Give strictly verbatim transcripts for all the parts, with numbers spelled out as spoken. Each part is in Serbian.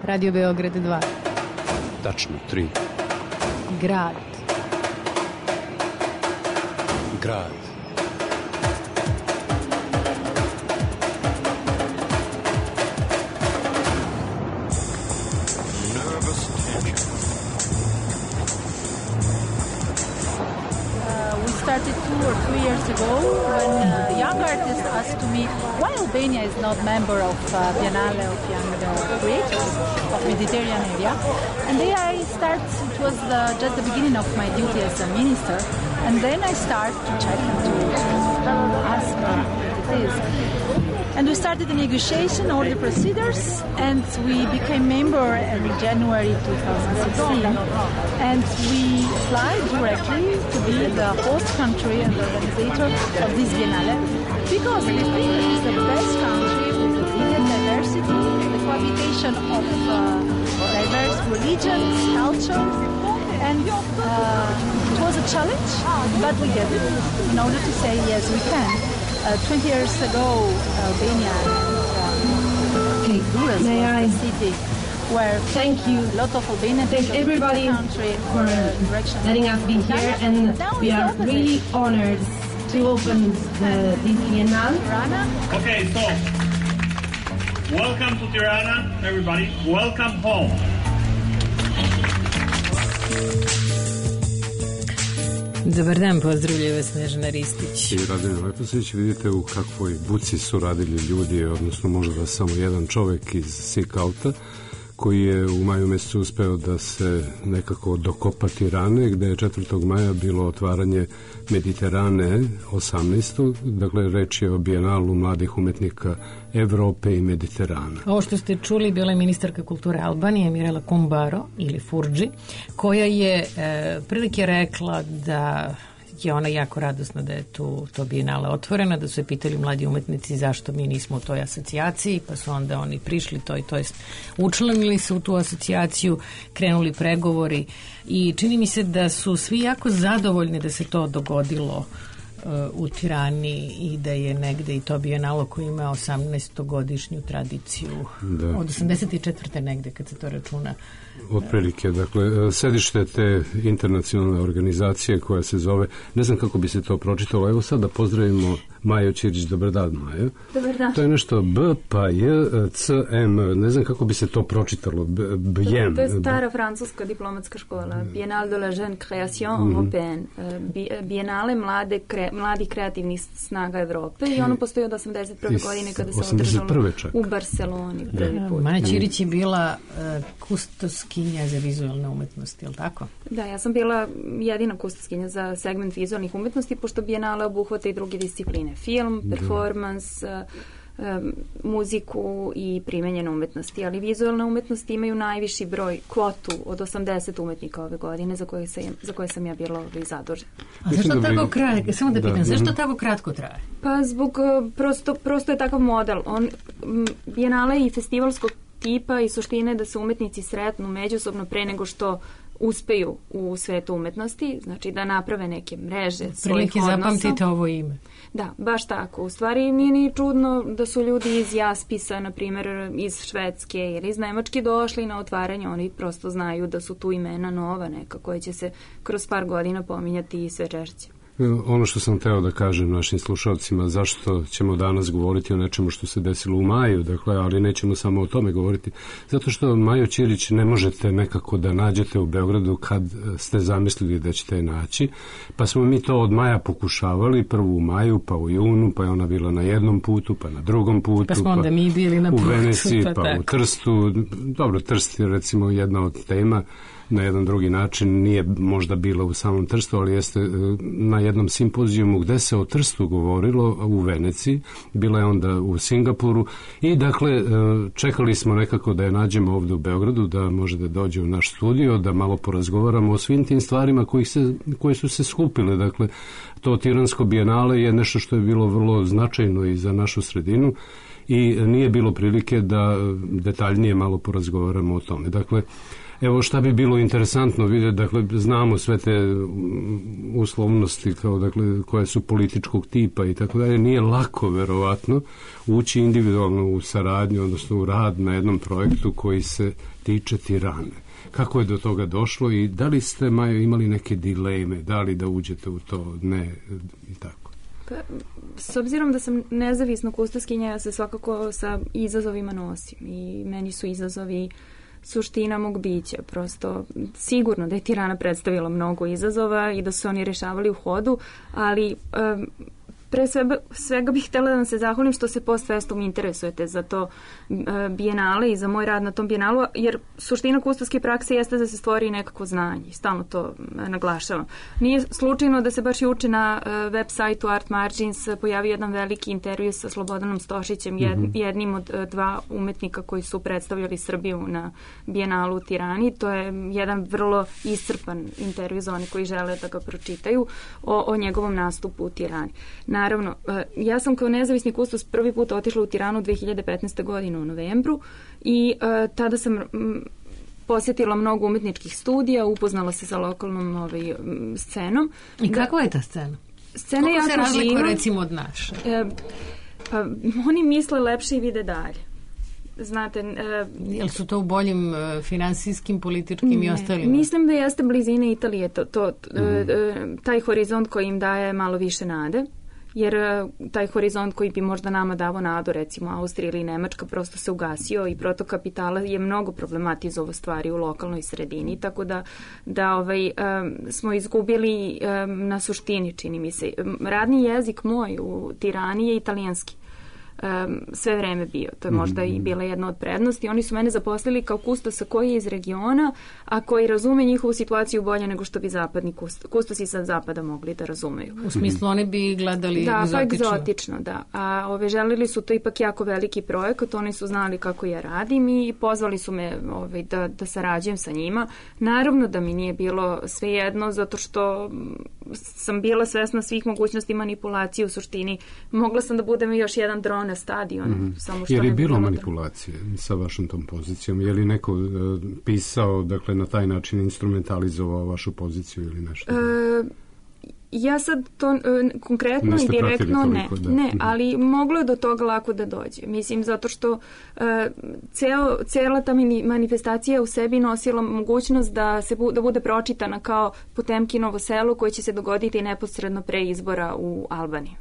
Radio Beograd dva. Tačno, tri. Grad. Grad. Started two or three years ago when uh, young artists asked me why Albania is not member of uh, Biennale of Young uh, Creators of Mediterranean area. And then I start, it was uh, just the beginning of my duty as a minister, and then I start to check and to ask uh, what it is. And we started the negotiation, all the procedures, and we became member in January twenty sixteen. And we applied directly to be the host country and the organizer of this Biennale, because we think it is the best country with the biggest diversity, the cohabitation of uh, diverse religions, culture, and uh, it was a challenge, but we did it in order to say yes, we can. Uh, twenty years ago, Albania and okay, Honduras May was I? the city where Thank you. a lot of Albanians Thank everybody country for letting us be here, and we are really honored to open the, this Biennale. Okay, so welcome to Tirana, everybody. Welcome home. Dobar dan, pozdravljaju vas Snežana Ristić. I Radina Leposić, vidite u kakvoj buci su radili ljudi, odnosno možda samo jedan čovek iz Sikauta, koji je u maju mesecu uspeo da se nekako dokopa Tirane, gde je četvrtog maja bilo otvaranje Mediterane osamnaestog. Dakle, reč je o Bijenalu mladih umetnika Evrope i Mediterana. Ovo što ste čuli bila je ministarka kulture Albanije Mirela Kumbaro ili Furdži, koja je e, prilike rekla da je ona jako radosna da je tu to Bijenale otvorena, da su je pitali mladi umetnici zašto mi nismo u toj asocijaciji, pa su onda oni prišli to i to jest učlanili se u tu asocijaciju, krenuli pregovori i čini mi se da su svi jako zadovoljni da se to dogodilo u Tirani i da je negde i to Bijenalo koji ima osamnaestogodišnju tradiciju, da. Od osamdeset četvrte negde kad se to računa. Otprilike, dakle, sedište te internacionalne organizacije koja se zove, ne znam kako bi se to pročitalo, evo sad da pozdravimo Maju Ćirić. Dobar dan, Maja. Dobar dan. To je nešto B, pa J, C, M, ne znam kako bi se to pročitalo, B, J. To je stara francuska diplomatska škola, Biennale de la Jeune Création Européenne, Biennale mlade, kre, mladih kreativnih snaga Evrope i ono postoji od osamdeset prve godine kada se održalo u Barceloni prvi put. Maja Ćirić je bila uh, kustoskinja za vizualne umetnosti, je li tako? Da, ja sam bila jedina kustoskinja za segment vizualnih umetnosti, pošto Biennale obuhvata i druge discipline. Film, performans, uh, um, muziku i primenjene umetnosti, ali vizualne umetnosti imaju najviši broj, kvotu od osamdeset umetnika ove godine za koje sam, za koje sam ja bila zadužena. A zašto tako kratko, samo da pitam, zašto tako kratko traje? Pa zbog, prosto, prosto je takav model. On, Biennale i festivalskog tipa i suštine da se umetnici sretnu međusobno pre nego što uspeju u svetu umetnosti, znači da naprave neke mreže svojih odnosa. Prilike zapamtite ovo ime. Da, baš tako. U stvari nije ni čudno da su ljudi iz Jaspisa, na primjer iz Švedske ili iz Nemačke došli na otvaranje, oni prosto znaju da su tu imena nova neka koje će se kroz par godina pominjati i sve češće. Ono što sam teo da kažem našim slušalcima, zašto ćemo danas govoriti o nečemu što se desilo u maju, dakle, ali nećemo samo o tome govoriti, zato što Maju Ćirić ne možete nekako da nađete u Beogradu kad ste zamislili da ćete je naći, pa smo mi to od maja pokušavali, prvo u maju, pa u junu, pa je ona bila na jednom putu, pa na drugom putu, pa smo onda pa mi bili na putu, u Veneciji, pa, pa u Trstu. Dobro, Trst je recimo jedna od tema, na jedan drugi način, nije možda bila u samom Trstu, ali jeste na jednom simpozijumu gde se o Trstu govorilo u Veneciji, bila je onda u Singapuru i dakle čekali smo nekako da je nađemo ovde u Beogradu, da može da dođe u naš studio, da malo porazgovaramo o svim tim stvarima koji se, koje su se skupile. Dakle, to Tiransko Bijenale je nešto što je bilo vrlo značajno i za našu sredinu i nije bilo prilike da detaljnije malo porazgovaramo o tome. Dakle, evo šta bi bilo interesantno vidjeti, dakle, znamo sve te uslovnosti kao, dakle, koje su političkog tipa i tako dalje, nije lako verovatno ući individualno u saradnju, odnosno u rad na jednom projektu koji se tiče Tirane. Kako je do toga došlo i da li ste, Majo, imali neke dileme, da li da uđete u to, ne i tako? Pa, s obzirom da sam nezavisna kustoskinja, ja se svakako sa izazovima nosim i meni su izazovi suština mog bića. Prosto sigurno da je Tirana predstavila mnogo izazova i da su oni rešavali u hodu, ali um, pre svega, svega bih htjela da vam se zahvalim što se post festum interesujete za to uh, bijenale i za moj rad na tom bijenalu, jer suština kustoske prakse jeste da se stvori nekako znanje i stalno to uh, naglašavam. Nije slučajno da se baš juče na uh, web sajtu Art Margins pojavi jedan veliki intervju sa Slobodanom Stošićem, jed, mm-hmm. jednim od uh, dva umetnika koji su predstavljali Srbiju na bijenalu u Tirani. To je jedan vrlo iscrpan intervju za one koji žele da ga pročitaju o, o njegovom nastupu u Tirani. Naravno, ja sam kao nezavisni kustos prvi put otišla u Tiranu dve hiljade petnaeste. godine u novembru i uh, tada sam m, posjetila mnogo umetničkih studija, upoznala se sa lokalnom ovaj, scenom. I kakva je ta scena? Scena je jako živa. Kako se razlikuje recimo od naše? E, pa, oni misle lepše i vide dalje. Znate, e, jel su to u boljim e, finansijskim, političkim ne, i ostalim? Mislim da jeste blizine Italije to, to, mm. e, taj horizont koji im daje malo više nade. Jer taj horizont koji bi možda nama davo nadu, recimo Austrija ili Nemačka, prosto se ugasio i protok kapitala je mnogo problematizovao stvari u lokalnoj sredini, tako da, da ovaj, um, smo izgubili um, na suštini, čini mi se. Radni jezik moj u Tirani je italijanski. Um, sve vreme bio. To je možda mm-hmm. i bila jedna od prednosti. Oni su mene zaposlili kao kustosa koji je iz regiona, a koji razume njihovu situaciju bolje nego što bi zapadni kust, kustosi sa zapada mogli da razumeju. U smislu oni bi gledali da, egzotično. Da, pa egzotično, da. A ove, želili su to ipak jako veliki projekat, oni su znali kako ja radim i pozvali su me ove, da, da sarađujem sa njima. Naravno da mi nije bilo svejedno, zato što sam bila svesna svih mogućnosti manipulacije u suštini. Mogla sam da budem još jedan dron na stadion. Mm-hmm. Samo što je li ne bilo manipulacije sa vašom tom pozicijom? Je li neko uh, pisao, dakle, na taj način instrumentalizovao vašu poziciju ili nešto? E, ja sad to uh, konkretno i direktno ne, toliko, ne, ali moglo je do toga lako da dođe. Mislim, zato što uh, ceo, cela ta manifestacija u sebi nosila mogućnost da se bu, da bude pročitana kao Potemkinovo selo koje će se dogoditi neposredno pre izbora u Albaniji.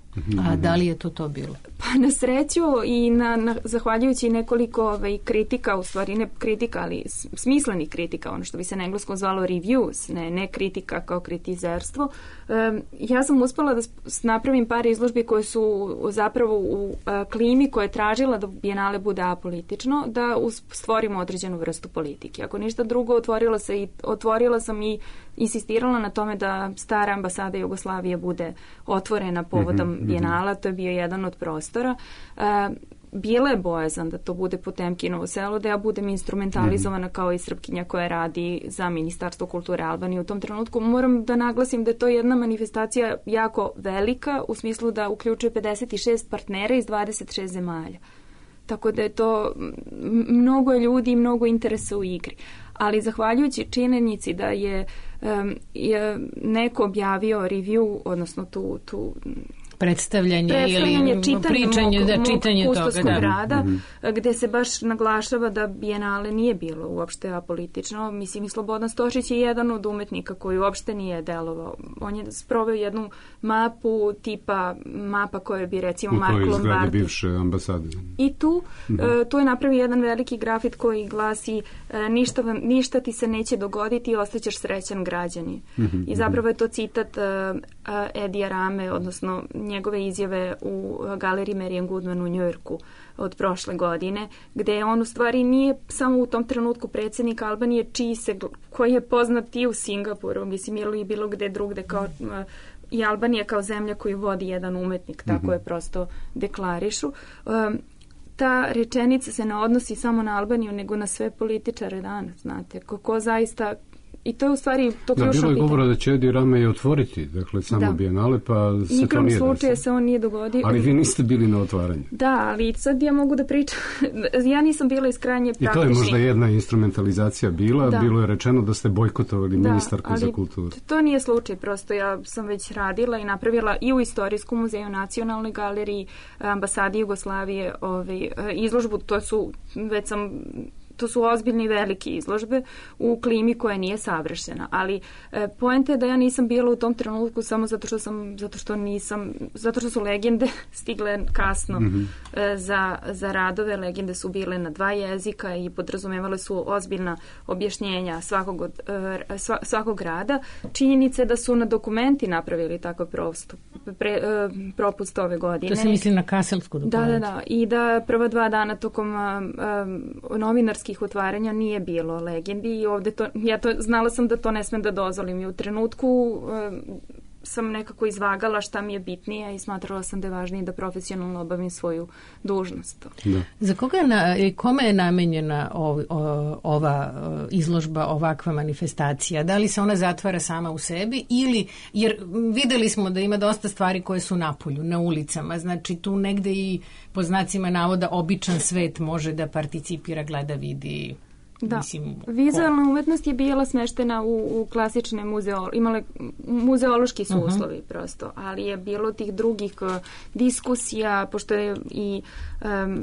A da li je to to bilo? Pa na sreću i na, na, zahvaljujući nekoliko ovaj, kritika, u stvari ne kritika, ali smislenih kritika, ono što bi se na engleskom zvalo reviews, ne, ne kritika kao kritizerstvo, um, ja sam uspela da napravim par izložbi koje su zapravo u a, klimi koja je tražila da bijenale bude apolitično, da stvorimo određenu vrstu politike. Ako ništa drugo, otvorila, se i, otvorila sam i insistirala na tome da stara ambasada Jugoslavije bude otvorena povodom mm-hmm, bijenala, to je bio jedan od prostora. Uh, bila je bojazan da to bude Potemkinovo selo, da ja budem instrumentalizovana mm-hmm. kao i Srpkinja koja radi za Ministarstvo kulture Albanije u tom trenutku. Moram da naglasim da je to jedna manifestacija jako velika, u smislu da uključuje pedeset šest partnera iz dvadeset šest zemalja. Tako da je to mnogo ljudi i mnogo interesa u igri. Ali zahvaljujući činjenici da je, um, je neko objavio review, odnosno tu, tu predstavljanje, predstavljanje ili čitanje pričanje, mog, da, mog čitanje kustoskog toga, da. rada, mm-hmm. gde se baš naglašava da bijenale nije bilo uopšte apolitično. Mislim, i Slobodan Stošić je jedan od umetnika koji uopšte nije delovao. On je sproveo jednu mapu tipa mapa koje bi recimo Marko Lombardi. U kojoj izgleda bivše ambasade. I tu, mm-hmm. uh, tu je napravio jedan veliki grafit koji glasi uh, ništa, vam, ništa ti se neće dogoditi i ostaćeš srećan građani. Mm-hmm. I zapravo je to citat uh, uh, Edija Rame, odnosno njegove izjave u galeriji Marian Goodman u Njujorku od prošle godine, gde on u stvari nije samo u tom trenutku predsjednik Albanije, čiji se, koji je poznat i u Singapuru, mislim, ili bilo gde drugde, kao i Albanija kao zemlja koju vodi jedan umetnik, tako mm-hmm. je prosto deklarišu. Um, ta rečenica se ne odnosi samo na Albaniju, nego na sve političare danas, znate. Ko, ko zaista I to je u stvari to da, ključno bilo je pitanje. govora da će Edi Rama i otvoriti, dakle, samo da. Bijenale, pa se Nikam to nije slučaje desilo. se on nije dogodio. Ali vi niste bili na otvaranju. Da, ali sad ja mogu da pričam. Ja nisam bila iz krajnje praktičnih. I to je možda jedna instrumentalizacija bila. Da. Bilo je rečeno da ste bojkotovali da, ministarku za kulturu. To nije slučaj, prosto ja sam već radila i napravila i u Istorijskom muzeju, Nacionalnoj galeriji, ambasadi Jugoslavije, ovaj, izložbu, to su, već sam to su ozbiljne i velike izložbe u klimi koja nije savršena, ali e, poenta je da ja nisam bila u tom trenutku samo zato što sam, zato što nisam, zato što su legende stigle kasno mm-hmm. e, za, za radove, legende su bile na dva jezika i podrazumevale su ozbiljna objašnjenja svakog, od, e, sva, svakog rada. Činjenica je da su na dokumenti napravili takav prosto, pre, e, propust ove godine. To se misli na Kaselsku dokumentu. Da, da, da. I da prva dva dana tokom a, a, novinarskih otvaranja nije bilo legendi i ovde to, ja to, znala sam da to ne smem da dozvolim i u trenutku a, sam nekako izvagala šta mi je bitnije i smatrala sam da je važnije da profesionalno obavim svoju dužnost. Da. Za koga je na, kome je namenjena ov, o, ova izložba, ovakva manifestacija? Da li se ona zatvara sama u sebi ili, jer videli smo da ima dosta stvari koje su napolju, na ulicama, znači tu negde i po znacima navoda običan svet može da participira, gleda, vidi. Da, mislim, vizualna ko? umetnost je bila smeštena u, u klasične muzeo, imale muzeološki su uh-huh. uslovi prosto, ali je bilo tih drugih uh, diskusija, pošto je i um,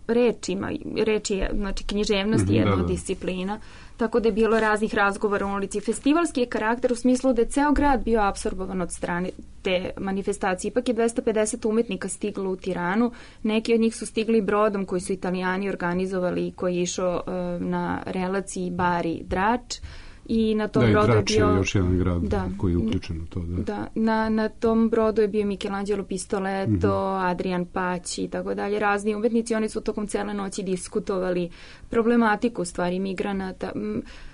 reč ima, reč je, znači književnost je jedna od disciplina, tako da je bilo raznih razgovora u ulici. Festivalski je karakter u smislu da je ceo grad bio apsorbovan od strane te manifestacije. Ipak je dvesta pedeset umetnika stiglo u Tiranu. Neki od njih su stigli brodom koji su Italijani organizovali, koji je išao uh, na relaciji Bari-Drač. I na tom da, brodu i Drač je bio, je još jedan grad da, koji je uključen u to. Da. Da, na, na tom brodu je bio Michelangelo Pistoletto, mm-hmm. Adrian Paci i tako dalje, razni umetnici. Oni su tokom cele noći diskutovali problematiku stvari migranata.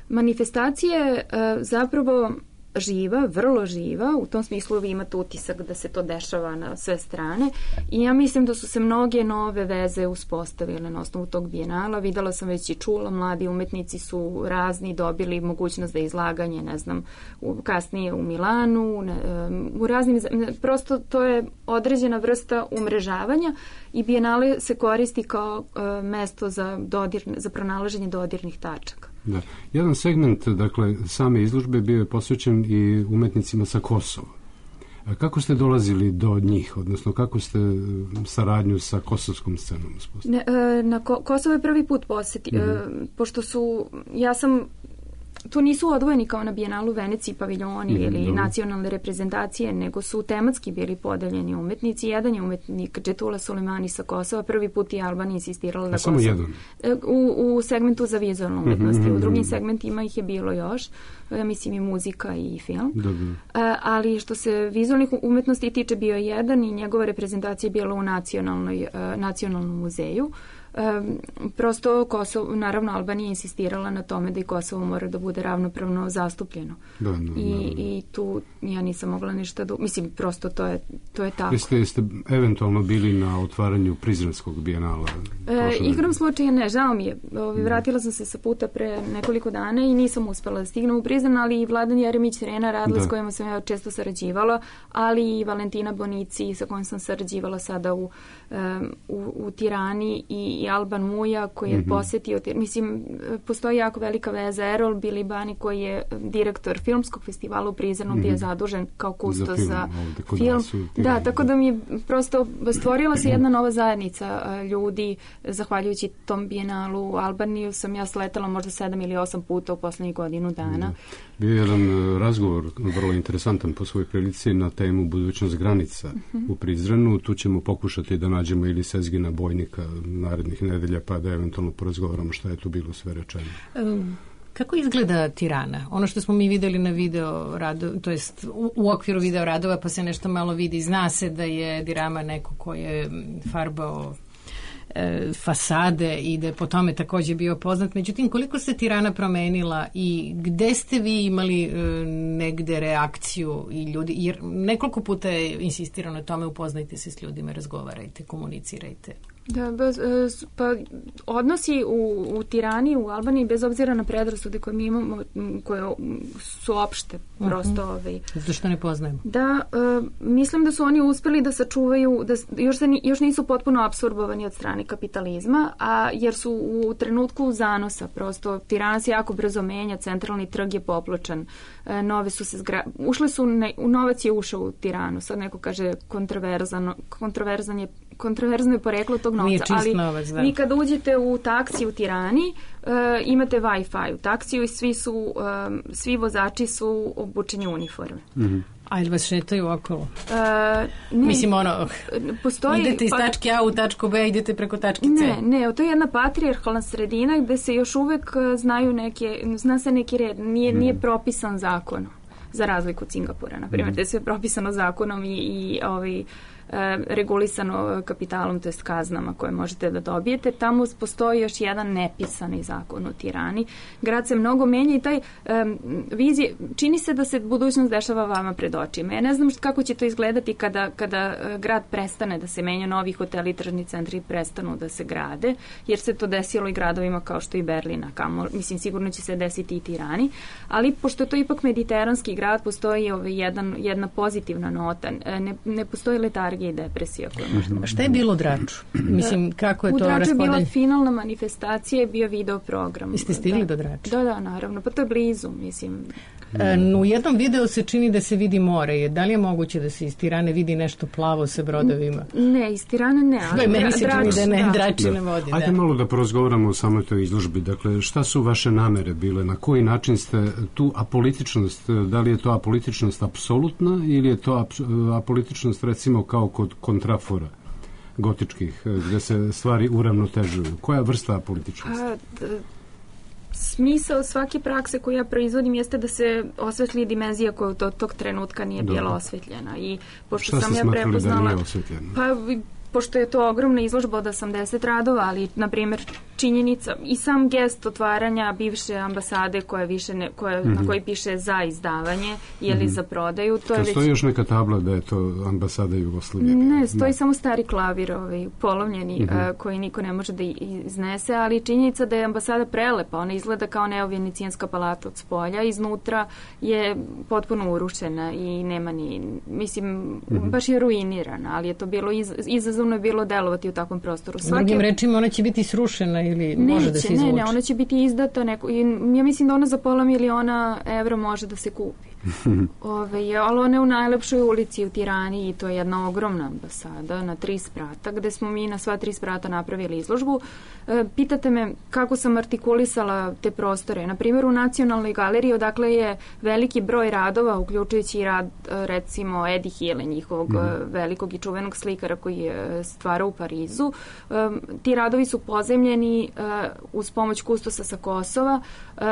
Manifestacije uh, zapravo živa, vrlo živa, u tom smislu vi imate utisak da se to dešava na sve strane i ja mislim da su se mnoge nove veze uspostavile na osnovu tog bijenala. Videla sam već i čula, mladi umetnici su razni dobili mogućnost da izlaganje, ne znam, u, kasnije u Milanu, ne, u raznim, prosto to je određena vrsta umrežavanja i bijenale se koristi kao uh, mesto za, dodir, za pronalaženje dodirnih tačaka. Da. Jedan segment, dakle, same izložbe bio je posvećen i umetnicima sa Kosova. A kako ste dolazili do njih, odnosno kako ste saradnju sa kosovskom scenom uspostavili? Ne, na Ko- Kosovo je prvi put posjeti, mm-hmm. pošto su, ja sam tu nisu odvojeni kao na Bijenalu Veneciji paviljoni mm, ili dobro. nacionalne reprezentacije, nego su tematski bili podeljeni umetnici. Jedan je umetnik Džetula Sulemani sa Kosova, prvi put i Albanija insistirala na Kosovo. Samo jedan? U, u segmentu za vizualnu umetnost. Mm-hmm. U drugim segmentima ih je bilo još. Ja mislim i muzika i film. Dobro. A, ali što se vizualnih umetnosti tiče, bio je jedan i njegova reprezentacija je bila u nacionalnoj, uh, nacionalnom muzeju. Um, prosto Kosovo, naravno Albanija insistirala na tome da i Kosovo mora da bude ravnopravno zastupljeno. Da, da, da, da. I, i tu ja nisam mogla ništa da... Mislim, prosto to je, to je tako. Jeste, jeste eventualno bili na otvaranju Prizrenskog bijenala? E, igram slučaja ne, žao mi je. Ovi, vratila sam se sa puta pre nekoliko dana i nisam uspela da stignem u Prizren, ali i Vladan Jeremić Rena radila da. s kojima sam ja često sarađivala, ali i Valentina Bonici sa kojom sam sarađivala sada u, um, u, u Tirani i i Alban Muja koji je mm-hmm. posjetio, mislim, postoji jako velika veza. Erol Bilibani koji je direktor filmskog festivala u Prizrenu mm-hmm. bio zadužen kao kustos za film. Za film. Su, da, tako da mi je prosto stvorila se jedna nova zajednica ljudi, zahvaljujući tom bijenalu. U Albaniju sam ja sletala možda sedam ili osam puta u poslednjih godinu dana. Da. Bio je jedan razgovor, vrlo interesantan po svojoj prilici, na temu budućnost granica mm-hmm. u Prizrenu. Tu ćemo pokušati da nađemo ili Sezgina Bojnika narednih nedelja, pa da eventualno porazgovaramo šta je tu bilo sve rečeno. Um, kako izgleda Tirana? Ono što smo mi videli na video radu, to jest u, u okviru video radova, pa se nešto malo vidi. Zna se da je Edi Rama neko ko je farbao e, fasade i da je po tome također bio poznat. Međutim, koliko se Tirana promenila i gde ste vi imali e, negde reakciju i ljudi, jer nekoliko puta je insistirano na tome, upoznajte se s ljudima, razgovarajte, komunicirajte. Da, bez, pa odnosi u, u Tirani, u Albaniji, bez obzira na predrasude koje mi imamo, koje su opšte, prosto... Uh-huh. Ovaj, zato što ne poznajemo. Da, uh, mislim da su oni uspeli da sačuvaju, da još, se, još nisu potpuno apsorbovani od strane kapitalizma, a jer su u trenutku zanosa, prosto Tirana se jako brzo menja, centralni trg je popločan, uh, nove su se zgra... ušle su, ne, novac je ušao u Tiranu, sad neko kaže kontroverzan, kontroverzan je kontroverzno je poreklo tog novca, ali novac, da. Vi kad uđete u taksi u Tirani, uh, imate Wi-Fi u taksiju i svi su, um, svi vozači su obučeni u uniforme. Mm-hmm. A ili vas šetaju okolo? Uh, ne, Mislim, ono, postoji, idete iz pa, tačke A u tačku B, idete preko tačke C. Ne, ne, to je jedna patrijarhalna sredina gde se još uvek znaju neke, zna se neki red, nije, mm. nije propisan zakonom, za razliku od Singapura, na primjer, mm. gde sve je propisano zakonom i, i ovaj, regulisano kapitalom, to jest kaznama koje možete da dobijete. Tamo postoji još jedan nepisani zakon u Tirani. Grad se mnogo menja i taj um, vizije, čini se da se budućnost dešava vama pred očima. Ja ne znam kako će to izgledati kada, kada grad prestane da se menja, novi hoteli i tržni centri prestanu da se grade, jer se to desilo i gradovima kao što i Berlina, kamo, mislim sigurno će se desiti i Tirani, ali pošto je to ipak mediteranski grad, postoji ovaj jedan, jedna pozitivna nota, ne, ne postoji letargija i depresija koja možda... Šta je bilo u Draču? Mislim, kako je to raspodelj? U Draču je bila finalna manifestacija, je bio video program. Jeste stigli da, do Drača? Da, da, naravno. Pa to je blizu, mislim. E, u jednom videu se čini da se vidi more. Da li je moguće da se iz Tirane vidi nešto plavo sa brodovima? Ne, iz Tirane ne. Ali meni se čini da ne, da. Dračine vodi. Ajde da. malo da porozgovaramo o samoj toj izložbi. Dakle, šta su vaše namere bile? Na koji način ste tu apolitičnost, da li je to apolitičnost apsolutna ili je to apolitičnost recimo kao kod kontrafora gotičkih, gde se stvari uravnotežuju? Koja vrsta apolitičnosti? A, d- Smisao svake prakse koju ja proizvodim jeste da se osvetli dimenzija koja do tog trenutka nije Dobro. bila osvetljena. I pošto Šta sam ste ja smatrali prepoznala, da nije osvetljena? Pa pošto je to ogromna izložba od osamdeset radova, ali na primjer činjenica i sam gest otvaranja bivše ambasade koja više ne, koja, mm-hmm. na koji piše za izdavanje ili mm-hmm. za prodaju, to je već... Stoji još neka tabla da je to ambasada Jugoslavije? Ne, stoji da. samo stari klavir ovaj, polovljeni mm-hmm. uh, koji niko ne može da iznese, ali činjenica da je ambasada prelepa, ona izgleda kao neovenecijanska palata od spolja, iznutra je potpuno urušena i nema ni, mislim, mm-hmm. baš je ruinirana, ali je to bilo iz, izazov je bilo delovati u takvom prostoru. Svake... Drugim rečima, ona će biti srušena ili neće, može da se izvuče? Ne, ne, ona će biti izdata. Neko, i ja mislim da ona za pola miliona evra može da se kupi. Ove, ali ona je u najlepšoj ulici u Tirani i to je jedna ogromna ambasada na tri sprata, gde smo mi na sva tri sprata napravili izložbu. E, pitate me kako sam artikulisala te prostore. Na primjer, u Nacionalnoj galeriji, odakle je veliki broj radova, uključujući i rad, recimo, Eddie Hille, njihovog mm. velikog i čuvenog slikara koji je stvarao u Parizu. E, ti radovi su pozemljeni e, uz pomoć kustosa sa Kosova. E,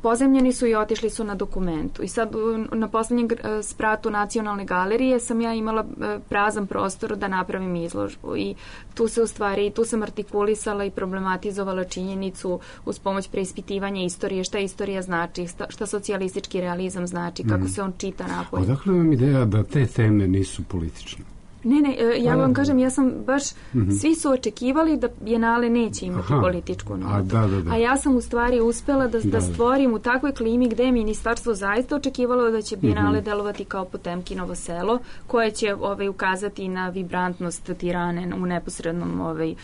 Pozemljeni su i otišli su na dokumentu. I sad na poslednjem spratu Nacionalne galerije sam ja imala prazan prostor da napravim izložbu. I tu se u stvari, tu sam artikulisala i problematizovala činjenicu uz pomoć preispitivanja istorije, šta istorija znači, šta socijalistički realizam znači, kako mm. se on čita napolje. Odakle vam ideja da te teme nisu politične? Ne, ne, ja vam kažem, ja sam baš, mm-hmm. svi su očekivali da Bijenale neće imati Aha. političku notu. A, da, da, da. A ja sam u stvari uspela da, da, da stvorim u takvoj klimi gde je ministarstvo zaista očekivalo da će Bijenale mm-hmm. delovati kao Potemkinovo selo, koje će ovaj, ukazati na vibrantnost Tirane u neposrednom, ovaj,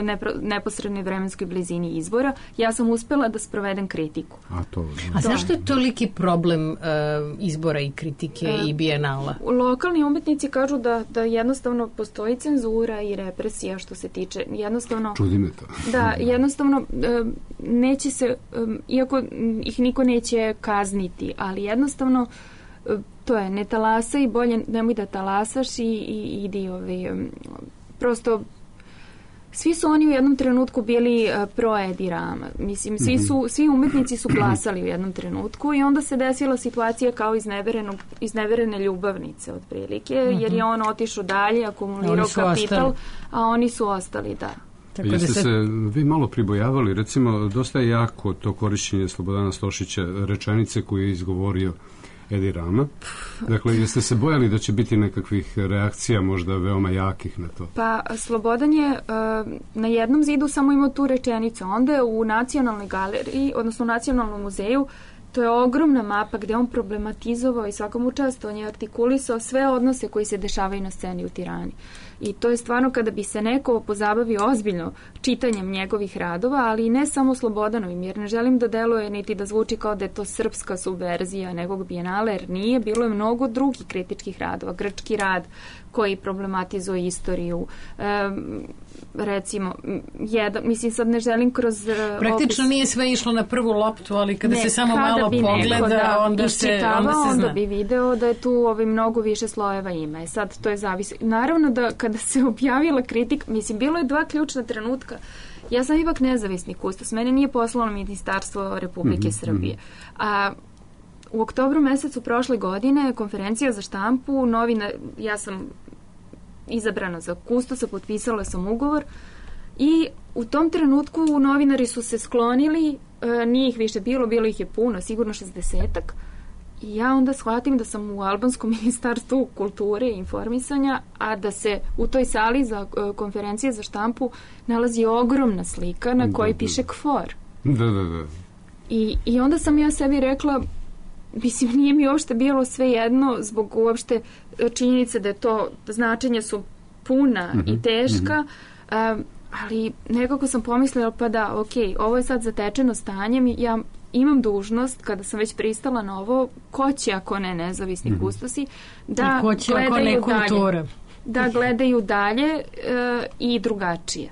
nepro, neposrednoj vremenskoj blizini izbora. Ja sam uspela da sprovedem kritiku. A, to, A zašto je toliki problem uh, izbora i kritike uh, i Bijenala? Lokalni umetnici kažu da, da jednostavno postoji cenzura i represija što se tiče, jednostavno... Čudi me to. Da, jednostavno neće se, iako ih niko neće kazniti, ali jednostavno to je, ne talasaj, bolje nemoj da talasaš i, i idi ovaj, prosto svi su oni u jednom trenutku bili uh, pro Edi Rama. Mislim, svi, su, svi umetnici su glasali u jednom trenutku i onda se desila situacija kao izneverene ljubavnice otprilike, mm-hmm. jer je on otišao dalje, akumulirao kapital, ostali. A oni su ostali, da. Tako Jeste da se... se vi malo pribojavali, recimo, dosta je jako to korišćenje Slobodana Stošića rečenice koju je izgovorio Edi Rama. Dakle, jeste se bojali da će biti nekakvih reakcija možda veoma jakih na to? Pa, Slobodan je uh, na jednom zidu samo imao tu rečenicu. Onda je u Nacionalnoj galeriji, odnosno u Nacionalnom muzeju, to je ogromna mapa gde on problematizovao i svakom učestvo, on je artikulisao sve odnose koji se dešavaju na sceni u Tirani. I to je stvarno kada bi se neko pozabavio ozbiljno čitanjem njegovih radova, ali i ne samo Slobodanovim, jer ne želim da deluje niti da zvuči kao da je to srpska subverzija nekog bijenala, jer nije, bilo je mnogo drugih kritičkih radova. Grčki rad koji problematizuje istoriju, e, recimo, jedan, mislim sad ne želim kroz praktično opis... nije sve išlo na prvu loptu, ali kada ne, se samo malo pogleda, da onda se, onda se zna. Onda bi video da je tu ovaj, mnogo više slojeva ima. E sad, to je zavisi. Naravno da kada se objavila kritika, mislim, bilo je dva ključna trenutka. Ja sam ipak nezavisni kustos. Mene nije poslalo Ministarstvo Republike mm-hmm. Srbije. A u oktobru mesecu prošle godine konferencija za štampu, novina, ja sam izabrana za kustosa, potpisala sam ugovor i u tom trenutku novinari su se sklonili, e, nije ih više bilo, bilo ih je puno, sigurno šezdesetak. I ja onda shvatim da sam u albanskom ministarstvu kulture i informisanja, a da se u toj sali za uh, konferencije za štampu nalazi ogromna slika na kojoj da, piše KFOR. Da, da, da. I, I onda sam ja sebi rekla, mislim, nije mi uopšte bilo sve jedno zbog uopšte činjenice da je to, značenja su puna mm-hmm, i teška, mm-hmm. uh, ali nekako sam pomislila, pa da, ok, ovo je sad zatečeno stanjem i ja imam dužnost, kada sam već pristala na ovo, ko će ako ne nezavisni mm-hmm. kustosi, da gledaju dalje, da gledaju dalje e, i drugačije.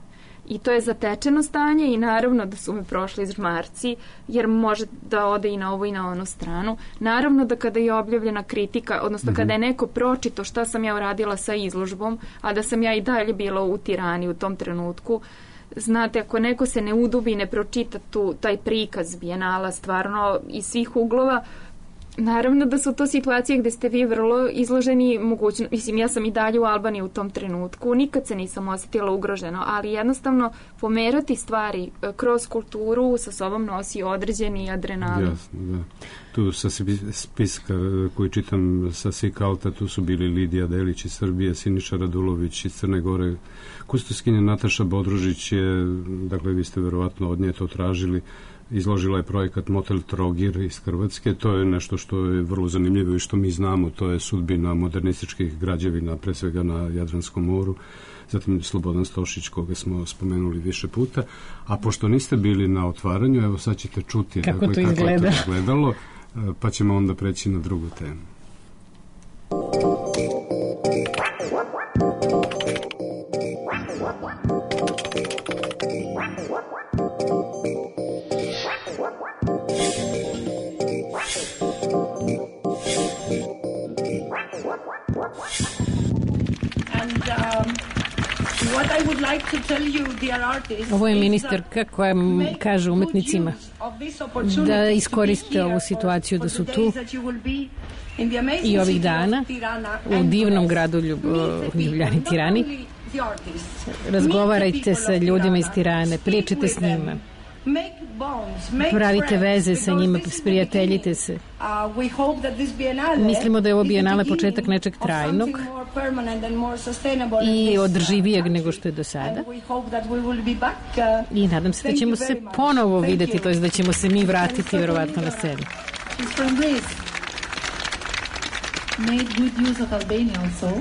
I to je zatečeno stanje i naravno da su me prošli žmarci, jer može da ode i na ovu i na onu stranu. Naravno da kada je objavljena kritika, odnosno mm-hmm. kada je neko pročito šta sam ja uradila sa izložbom, a da sam ja i dalje bila u Tirani u tom trenutku, znate, ako neko se ne udubi i ne pročita tu, taj prikaz bijenala stvarno iz svih uglova, naravno da su to situacije gde ste vi vrlo izloženi mogućno, mislim, ja sam i dalje u Albaniji u tom trenutku, nikad se nisam osjetila ugroženo, ali jednostavno pomerati stvari kroz kulturu sa sobom nosi određeni adrenalin. Jasno, da. Tu sa spiska koji čitam sa Sikalta, tu su bili Lidija Delić iz Srbije, Siniša Radulović iz Crne Gore, kustoskinja Nataša Bodružić je, dakle vi ste verovatno od nje to tražili, izložila je projekat Motel Trogir iz Hrvatske. To je nešto što je vrlo zanimljivo i što mi znamo, to je sudbina modernističkih građevina, pre svega na Jadranskom moru. Zatim Slobodan Stošić, koga smo spomenuli više puta. A pošto niste bili na otvaranju, evo sad ćete čuti kako, dakle, to, kako izgleda. je to izgledalo, pa ćemo onda preći na drugu temu. Ovo je ministarka koja kaže umetnicima da iskoriste ovu situaciju da su tu i ovih dana u divnom gradu Ljub, Ljubljani, Tirani. Razgovarajte sa ljudima iz Tirane, pričajte s njima, pravite veze sa njima, sprijateljite se. Mislimo da je ovo bijenale početak nečeg trajnog i održivijeg nego što je do sada. I nadam se da ćemo se ponovo videti, to je da ćemo se mi vratiti verovatno na scenu. Made good use of Albania also.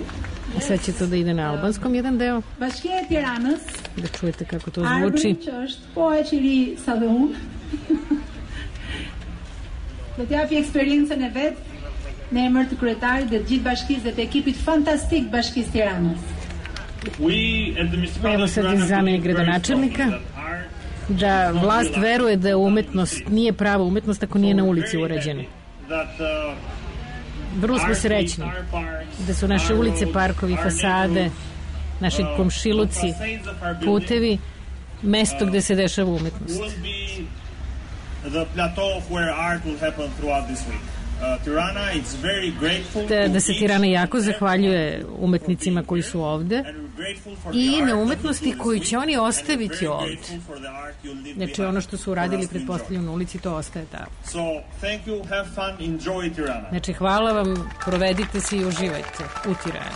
Sad će to da ide na albanskom jedan deo. Bashkia e Tiranës. Da čujete kako to zvuči. Arbëri që është po e qiri sa dhe unë. Do t'japi eksperiencën e vet në emër të kryetarit dhe të gjithë bashkisë dhe të ekipit fantastik Bashkisë Tiranës. Evo sad je zamjenik gradonačelnika da vlast veruje da umetnost nije prava umetnost ako nije na ulici urađena. Vrlo smo srećni da su naše ulice, parkovi, fasade, naši komšiluci, putevi, mesto gde se dešava umetnost. Da, da se Tirana jako zahvaljuje umetnicima koji su ovde i na umetnosti koju će oni ostaviti ovde. Znači ono što su uradili pretpostavljeno na ulici, to ostaje tamo. Znači hvala vam, provedite se i uživajte u Tirani.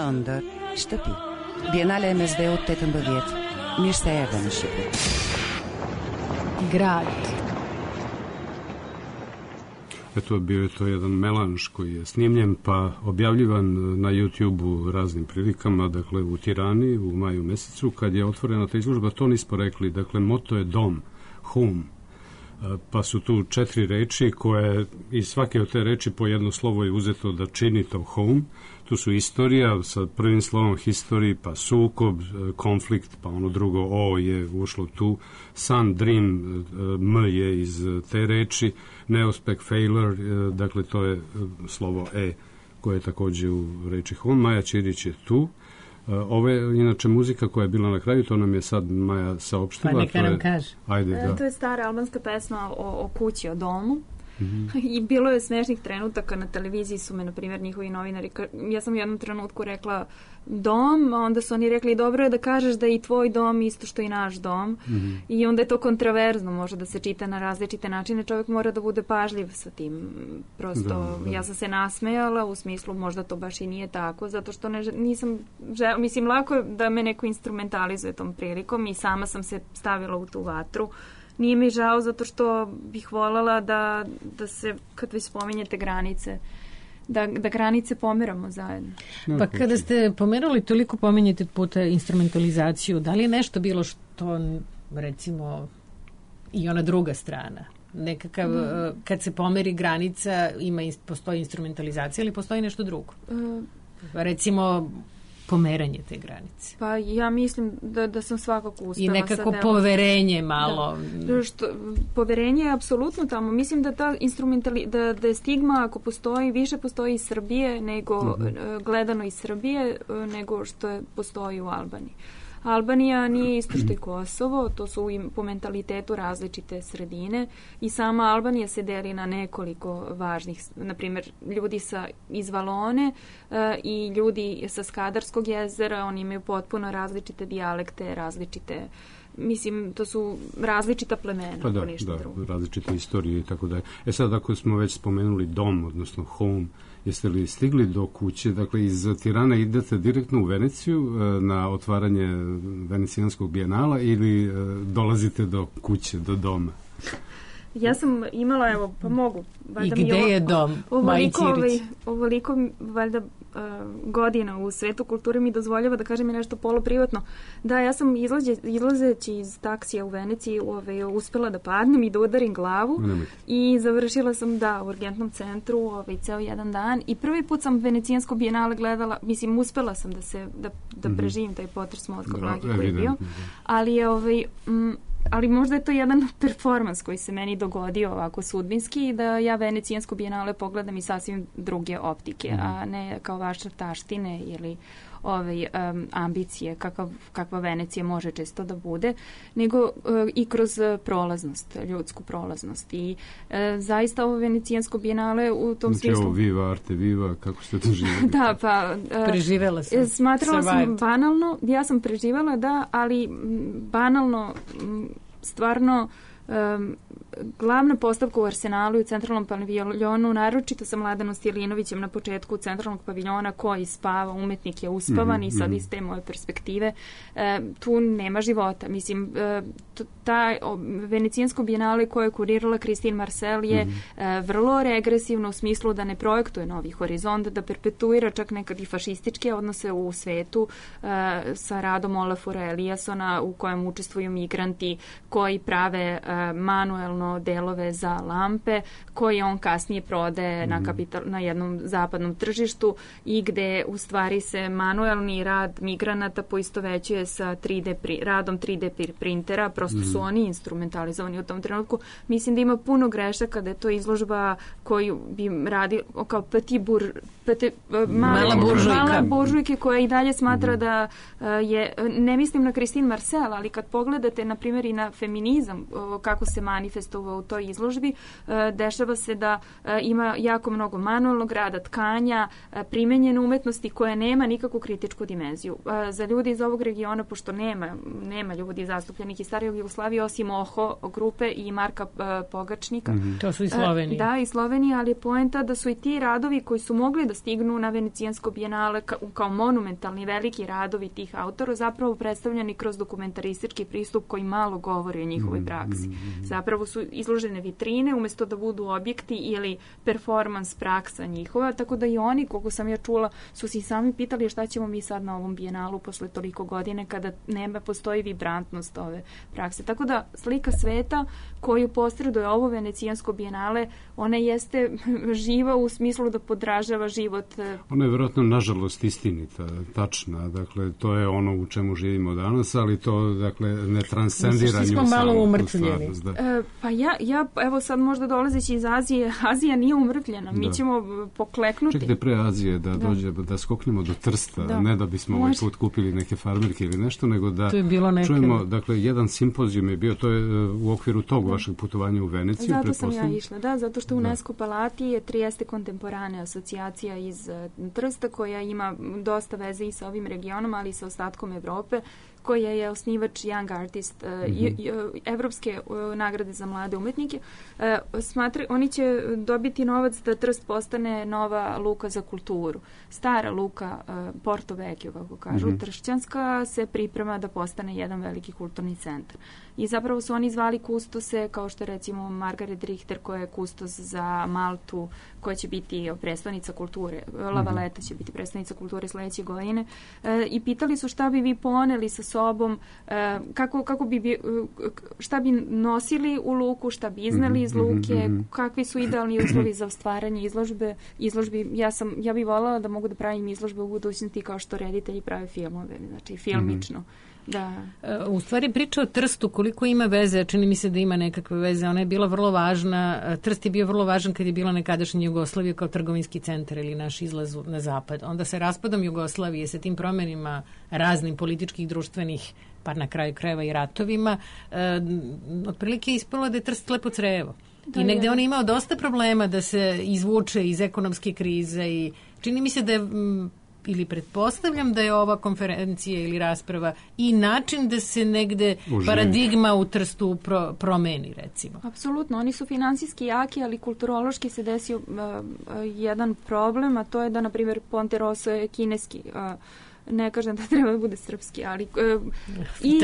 Ëndër shtëpi. Bienale M S D-u tetëmbëdhjetë. Mirë se erdhe në Shqipëri. Grad. Eto, bio je to jedan melanž koji je snimljen pa objavljivan na YouTube-u raznim prilikama, dakle u Tirani u maju mesecu kad je otvorena ta izložba. To nismo rekli, dakle moto je dom, home, pa su tu četiri reči koje iz svake od te reči po jedno slovo je uzeto da čini to home. Tu su istorija sa prvim slovom history, pa sukob, konflikt, pa ono drugo O je ušlo tu, sun, dream, M je iz te reči, neuspeh, failure, dakle to je slovo E koje je takođe u reči home. Maja Ćirić je tu. Ovo je inače muzika koja je bila na kraju, to nam je sad Maja saopštila. Pa neka nam kaže. Ajde, da. To je stara albanska pesma o, o kući, o domu. Mm-hmm. I bilo je smešnih trenutaka na televiziji su me, na primjer, njihovi novinari, ja sam u jednom trenutku rekla dom, a onda su oni rekli dobro je da kažeš da je i tvoj dom isto što i naš dom. Mm-hmm. I onda je to kontraverzno, može da se čita na različite načine, čovjek mora da bude pažljiv sa tim. Prosto, da, da. Ja sam se nasmejala u smislu možda to baš i nije tako, zato što ne, nisam žel, mislim, lako je da me neko instrumentalizuje tom prilikom i sama sam se stavila u tu vatru. Nije mi žao zato što bih voljela da, da se, kad vi spominjete granice, da, da granice pomeramo zajedno. Pa kada ste pomerali, toliko pominjete puta instrumentalizaciju, da li je nešto bilo što, recimo, i ona druga strana? Nekakav, mm. kad se pomeri granica, ima, postoji instrumentalizacija ili postoji nešto drugo? Uh, Recimo, pomeranje te granice. Pa ja mislim da, da sam svakako uspela. I nekako poverenje malo. Da. Što, poverenje je apsolutno tamo. Mislim da ta instrumentali, da, da je stigma ako postoji, više postoji iz Srbije nego mm-hmm. gledano iz Srbije nego što je, postoji u Albaniji. Albanija nije isto što i Kosovo, to su po mentalitetu različite sredine i sama Albanija se deli na nekoliko važnih, na primjer ljudi sa iz Valone uh, i ljudi sa Skadarskog jezera, oni imaju potpuno različite dijalekte, različite, mislim, to su različita plemena. Pa da, da, drugo. Različite istorije i tako da je. E sad, ako smo već spomenuli dom, odnosno home, jeste li stigli do kuće? Dakle, iz Tirana idete direktno u Veneciju na otvaranje Venecijanskog bijenala ili dolazite do kuće, do doma? Ja sam imala, evo, pa mogu. I gde je dom, Maji Ćirić? Ovoliko, valjda, godina u svetu kulture mi dozvoljava da kažem i nešto poluprivatno. Da, ja sam izlaze, izlazeći iz taksija u Veneciji ove, uspela da padnem i da udarim glavu Nemoj. I završila sam, da, u urgentnom centru ove, ceo jedan dan i prvi put sam Venecijansko bijenale gledala, mislim, uspela sam da se, da, da mm-hmm. preživim taj potres mozga blagi koji je bio, ali je ovaj, m, ali možda je to jedan performans koji se meni dogodio ovako sudbinski i da ja Venecijansko bijenale pogledam i sasvim druge optike, mm-hmm. a ne kao vaše taštine ili ove um, ambicije kakav, kakva Venecija može često da bude, nego uh, i kroz prolaznost, ljudsku prolaznost. I uh, zaista ovo Venecijansko bijenale u tom znači, smislu... Znači ovo viva, arte viva, kako ste to živjeli? Da, pa... Uh, preživela sam. Smatrala Survived. sam banalno, ja sam preživala, da, ali banalno, stvarno... Um, glavna postavka u Arsenalu i u centralnom paviljonu, naročito sa Mladanom Stilinovićem na početku centralnog paviljona koji spava, umetnik je uspavan mm-hmm. i sad iz te moje perspektive e, tu nema života. Mislim, e, ta venecijansko bijenale koje je kurirala Christine Marcel je mm-hmm. e, vrlo regresivno u smislu da ne projektuje novi horizont, da perpetuira čak nekad i fašističke odnose u svetu e, sa radom Olafura Eliassona u kojem učestvuju migranti koji prave e, manuelno delove za lampe koje on kasnije prodaje mm-hmm. na, kapital, na jednom zapadnom tržištu i gde u stvari se manuelni rad migranata poistovećuje sa tri D pri, radom tri D printera, prosto mm-hmm. su oni instrumentalizovani u tom trenutku. Mislim da ima puno grešaka, da je to izložba koju bi radi kao petit bur, petit, mala, mala buržujke koja i dalje smatra mm-hmm. da uh, je, ne mislim na Christine Marcel, ali kad pogledate na primjer i na feminizam uh, kako se manifestovao u toj izložbi, uh, dešava se da uh, ima jako mnogo manualnog rada, tkanja, uh, primenjene umetnosti koja nema nikakvu kritičku dimenziju. Uh, za ljudi iz ovog regiona, pošto nema, nema ljudi zastupljenih iz starije Jugoslavije, osim Oho grupe i Marka uh, Pogačnika. Mm-hmm. To su i Slovenije. Uh, da, i Slovenije, ali je poenta da su i ti radovi koji su mogli da stignu na Venecijansko bijenale ka, kao monumentalni veliki radovi tih autora zapravo predstavljeni kroz dokumentaristički pristup koji malo govori o njihovoj praksi. Zapravo su izložene vitrine umjesto da budu objekti ili performans praksa njihova, tako da i oni, koliko sam ja čula, su si sami pitali šta ćemo mi sad na ovom bijenalu posle toliko godine kada nema, postoji vibrantnost ove prakse. Tako da slika sveta koju posreduje ovo Venecijansko bijenale, ona jeste živa u smislu da podražava život. Ona je vjerojatno nažalost istinita, tačna, dakle to je ono u čemu živimo danas, ali to dakle ne transcendira nju samo malo umrtvljeni. Da. E, pa ja, ja, evo sad možda dolazeći iz Azije, Azija nije umrtvljena, mi da. ćemo pokleknuti. Čekajte pre Azije da, da. dođe, da skoknemo do Trsta, da. ne da bismo ovaj put kupili neke farmerke ili nešto, nego da čujemo, dakle jedan simpozijum je bio, to je u okviru tog da. vašeg putovanja u Veneciju. Zato sam ja išla, da, zato što UNESCO da. Palati je Trieste Contemporane asocijacija iz uh, Trsta koja ima dosta veze i sa ovim regionom, ali i sa ostatkom Evrope, koja je osnivač Young Artist, uh, mm-hmm. Evropske uh, nagrade za mlade umetnike. Uh, smatra, oni će dobiti novac da Trst postane nova luka za kulturu. Stara luka, uh, Porto Vecchio, kako kažu, mm-hmm. tršćanska, se priprema da postane jedan veliki kulturni centar. I zapravo su oni zvali kustose, kao što recimo Margaret Richter, koja je kustos za Maltu, koja će biti predstavnica kulture. La Valeta će biti predstavnica kulture sledeće godine. E, I pitali su šta bi vi poneli sa sobom, e, kako, kako bi, šta bi nosili u luku, šta bi izneli iz luke, kakvi su idealni uslovi za stvaranje izložbe. Izložbi, ja, sam, ja bih voljela da mogu da pravim izložbe u budućnosti kao što reditelji prave filmove, znači filmično. Da. U stvari priča o Trstu koliko ima veze, čini mi se da ima nekakve veze, ona je bila vrlo važna, Trst je bio vrlo važan kad je bila nekadašnja Jugoslavija kao trgovinski centar ili naš izlaz na zapad. Onda se raspadom Jugoslavije sa tim promenima raznim političkih, društvenih, pa na kraju krajeva i ratovima, eh, otprilike je ispalo da je Trst lepo crevo. Da, I negde je. On je imao dosta problema da se izvuče iz ekonomske krize i čini mi se da je m, ili pretpostavljam da je ova konferencija ili rasprava i način da se negde Uživ. paradigma u Trstu pro, promeni, recimo. Apsolutno, oni su finansijski jaki, ali kulturološki se desio uh, uh, jedan problem, a to je da, na primjer, Ponte Rosso je kineski, uh, ne kažem da treba da bude srpski, ali uh, i,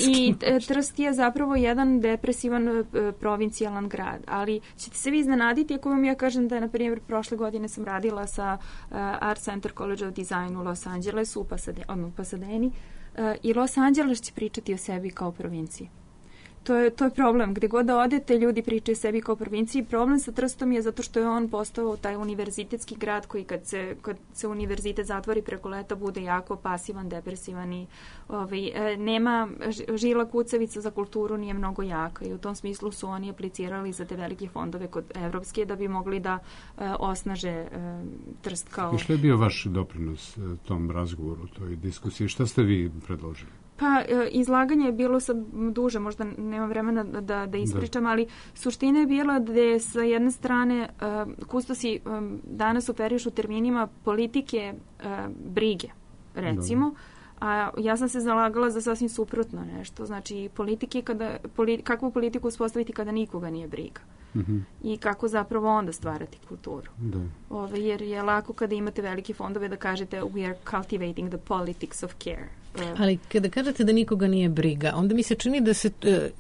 i Trst je zapravo jedan depresivan uh, provincijalan grad, ali ćete se vi iznenaditi ako vam ja kažem da, na primjer, prošle godine sam radila sa uh, Art Center College of Design u Los Angelesu, u Pasadeni, Pasadeni uh, i Los Angeles će pričati o sebi kao provinciji. To je, to je problem. Gde god da odete, ljudi pričaju sebi kao provinciji. Problem sa Trstom je zato što je on postao taj univerzitetski grad koji kad se, kad se univerzitet zatvori preko leta bude jako pasivan, depresivan i ovaj, nema žila kucavica za kulturu, nije mnogo jaka i u tom smislu su oni aplicirali za te velike fondove kod evropske da bi mogli da uh, osnaže uh, Trst kao... I što je bio vaš doprinos tom razgovoru, toj diskusiji? Šta ste vi predložili? Pa, izlaganje je bilo sad duže, možda nemam vremena da, da ispričam, da. ali suština je bila da je sa jedne strane uh, kustosi um, danas operišu terminima politike uh, brige, recimo, A ja sam se zalagala za sasvim suprotno nešto. Znači, politike kada, politi, kakvu politiku uspostaviti kada nikoga nije briga. Mm-hmm. I kako zapravo onda stvarati kulturu. Da. Ove, jer je lako kada imate velike fondove da kažete we are cultivating the politics of care. Ali kada kažete da nikoga nije briga, onda mi se čini da se,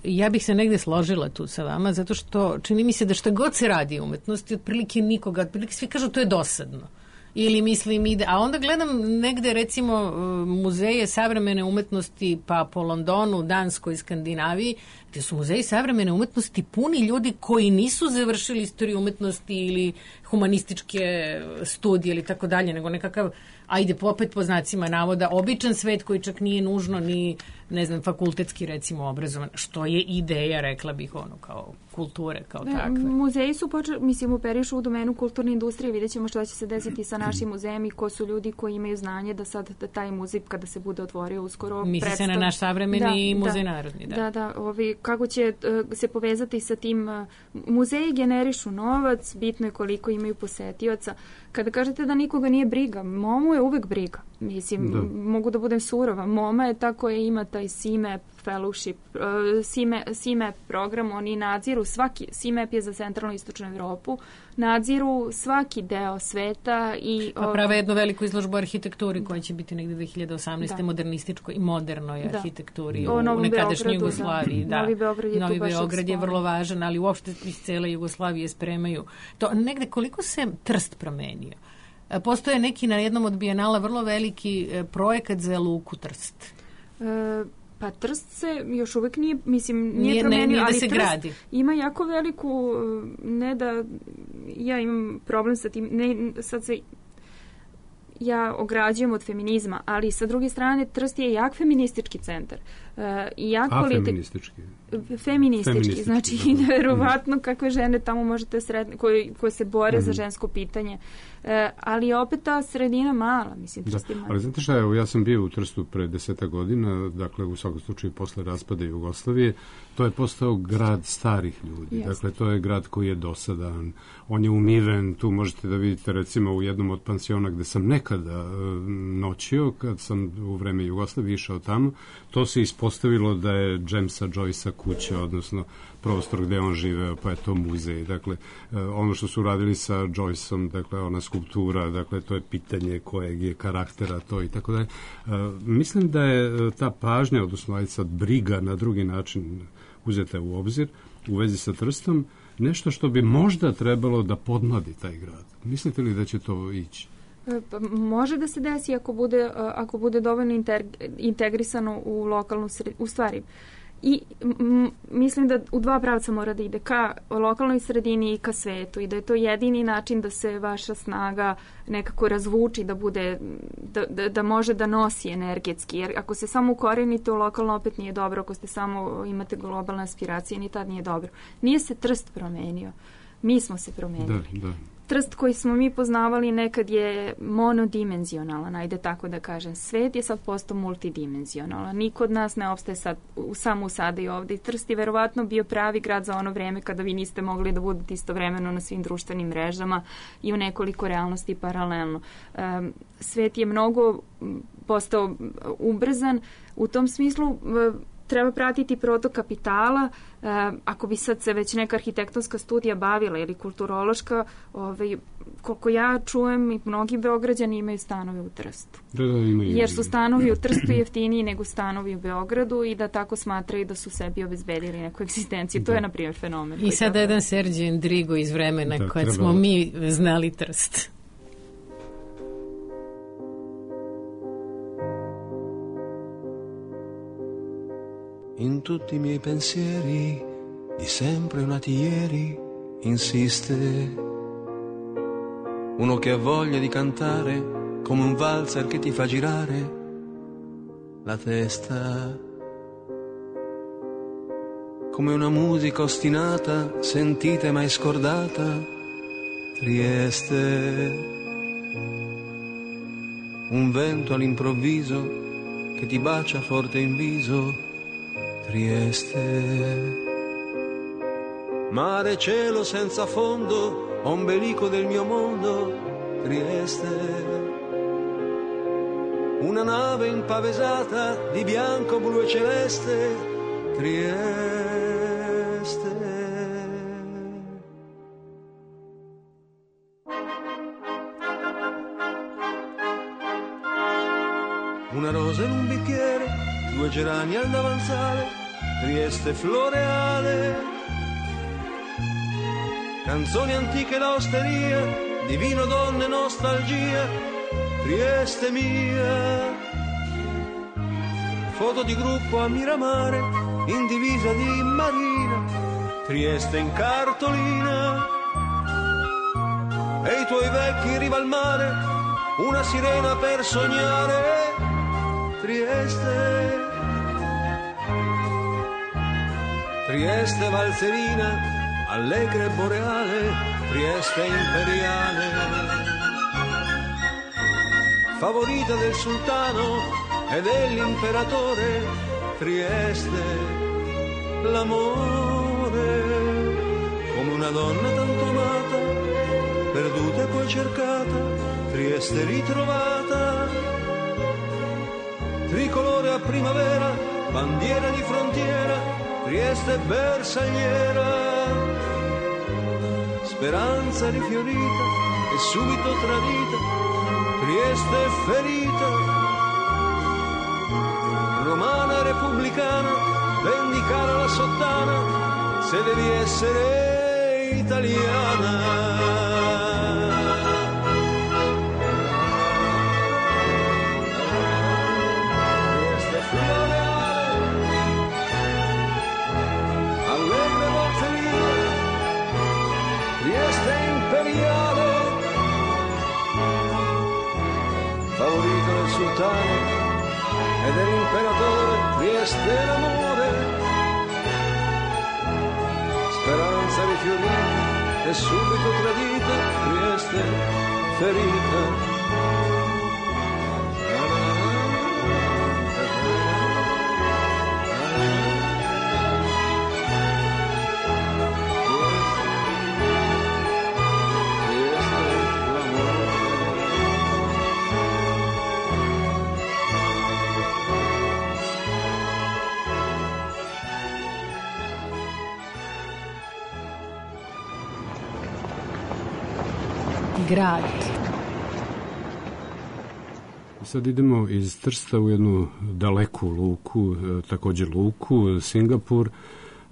ja bih se negde složila tu sa vama, zato što čini mi se da šta god se radi u umetnosti, otprilike nikoga, otprilike svi kažu to je dosadno. Ili mislim ide, a onda gledam negde recimo muzeje savremene umetnosti pa po Londonu, Danskoj i Skandinaviji, gde su muzeji savremene umetnosti puni ljudi koji nisu završili istoriju umetnosti ili humanističke studije ili tako dalje, nego nekakav, ajde opet po znacima navoda, običan svet koji čak nije nužno ni, ne znam, fakultetski recimo obrazovan, što je ideja, rekla bih, ono, kao kulture, kao ne, takve. Muzeji su počeli, mislim, operišu u domenu kulturne industrije, vidjet ćemo šta će se desiti sa našim muzejom i ko su ljudi koji imaju znanje da sad da taj muzej, kada se bude otvorio uskoro, misli predstav... se na naš savremeni da, muzej da, narodni. Da, da, da ovi, kako će uh, se povezati sa tim, uh, muzeji generišu novac, bitno je koliko imaju posetioca. Kada kažete da nikoga nije briga, momu je uvek briga. Mislim, da. Mogu da budem surova. Moma je ta koja ima taj C I M A P fellowship, uh, C I M A P, C I M A P program, oni nadziru svaki, C I M A P je za centralnu i istočnu Evropu, nadziru svaki deo sveta i... Pa prave jednu veliku izložbu arhitekturi koja će biti negde dve hiljade osamnaeste. Da. Modernističkoj i modernoj da. arhitekturi u, u nekadašnjoj Jugoslaviji. Da. Da. Novi Beograd je, Novi Beograd je vrlo važan, ali uopšte iz cele Jugoslavije spremaju. To negde koliko se Trst promenio? Postoje neki na jednom od bijenala vrlo veliki projekat za luku Trst. E, pa Trst se još uvek nije, mislim, nije, nije promenio, ne, nije da ali se Trst gradi. Ima jako veliku, ne da, ja imam problem sa tim, ne, sad se ja ograđujem od feminizma, ali sa druge strane Trst je jak feministički centar. Uh, i jak A politi... feministički? Feministički, feministički znači da. Neverovatno kakve žene tamo možete sredne, koje, koje se bore mm-hmm. za žensko pitanje. Uh, ali je opet ta sredina mala, mislim. Da, ali znate šta, evo, ja sam bio u Trstu pre deseta godina, dakle u svakom slučaju posle raspada Jugoslavije, to je postao grad starih ljudi. Yes. Dakle, to je grad koji je dosadan, on je umiven, tu možete da vidite recimo u jednom od pansiona gde sam nekada uh, noćio, kad sam u vreme Jugoslavije išao tamo, to se ispostavilo da je Jamesa Joycea kuća, odnosno prostor gde on živeo, pa je to muzej. Dakle, uh, ono što su radili sa Joyceom, dakle, ona skulptura, dakle, to je pitanje kojeg je karaktera, to i tako dalje. Uh, mislim da je ta pažnja, odnosno ajde sad briga na drugi način uzeta u obzir u vezi sa Trstom, nešto što bi možda trebalo da podmladi taj grad. Mislite li da će to ići? Pa, može da se desi ako bude, ako bude dovoljno integrisano u lokalnu sredinu. U stvari, i m, mislim da u dva pravca mora da ide ka lokalnoj sredini i ka svetu i da je to jedini način da se vaša snaga nekako razvuči, da bude da, da, da može da nosi energetski, jer ako se samo ukorenite u lokalno opet nije dobro, ako ste samo imate globalne aspiracije, ni tad nije dobro. Nije se Trst promenio, mi smo se promenili. Da, da. Trst koji smo mi poznavali nekad je monodimenzionalan, ajde tako da kažem. Svet je sad postao multidimenzionalan. Niko od nas ne opstaje sad, samo u sada i ovde. I Trst je verovatno bio pravi grad za ono vreme kada vi niste mogli da budete istovremeno na svim društvenim mrežama i u nekoliko realnosti paralelno. Um, svet je mnogo postao ubrzan. U tom smislu treba pratiti protok kapitala. E, ako bi sad se već neka arhitektonska studija bavila ili kulturološka, ovaj, koliko ja čujem i mnogi Beograđani imaju stanove u Trstu. Da, da, imaju. Jer su stanovi u Trstu jeftiniji nego stanovi u Beogradu i da tako smatraju da su sebi obezbedili neku egzistenciju. Da. To je, na primjer, fenomen. I sada jedan Serđe Endrigo iz vremena da, kad treba... smo mi znali Trst. In tutti i miei pensieri, di sempre nati ieri, insiste. Uno che ha voglia di cantare, come un valzer che ti fa girare la testa. Come una musica ostinata, sentita e mai scordata, Trieste. Un vento all'improvviso che ti bacia forte in viso, Trieste. Mare e cielo senza fondo, ombelico del mio mondo, Trieste. una nave impavesata di bianco, blu e celeste, Trieste. Una rosa in un bicchiere, due gerani al davanzale, Trieste floreale. Canzoni antiche da osteria, di vino, donne, nostalgia, Trieste mia. Foto di gruppo a Miramare, in divisa di marina, Trieste in cartolina. E i tuoi vecchi in riva al mare, una sirena per sognare, Trieste. Trieste valzerina, allegra e boreale, Trieste imperiale. Favorita del sultano e dell'imperatore, Trieste, l'amore. Come una donna tanto amata, perduta e poi cercata, Trieste ritrovata. Tricolore a primavera, bandiera di frontiera, Trieste bersagliera. Speranza rifiorita e subito tradita, Trieste ferita. Romana repubblicana, vendicare la sottana, se devi essere italiana. Favorito del sultano e dell'imperatore, Trieste l'amore. Speranza rifiorita e subito tradita, Trieste ferita. Grad. Sad idemo iz Trsta u jednu daleku luku, također luku, Singapur.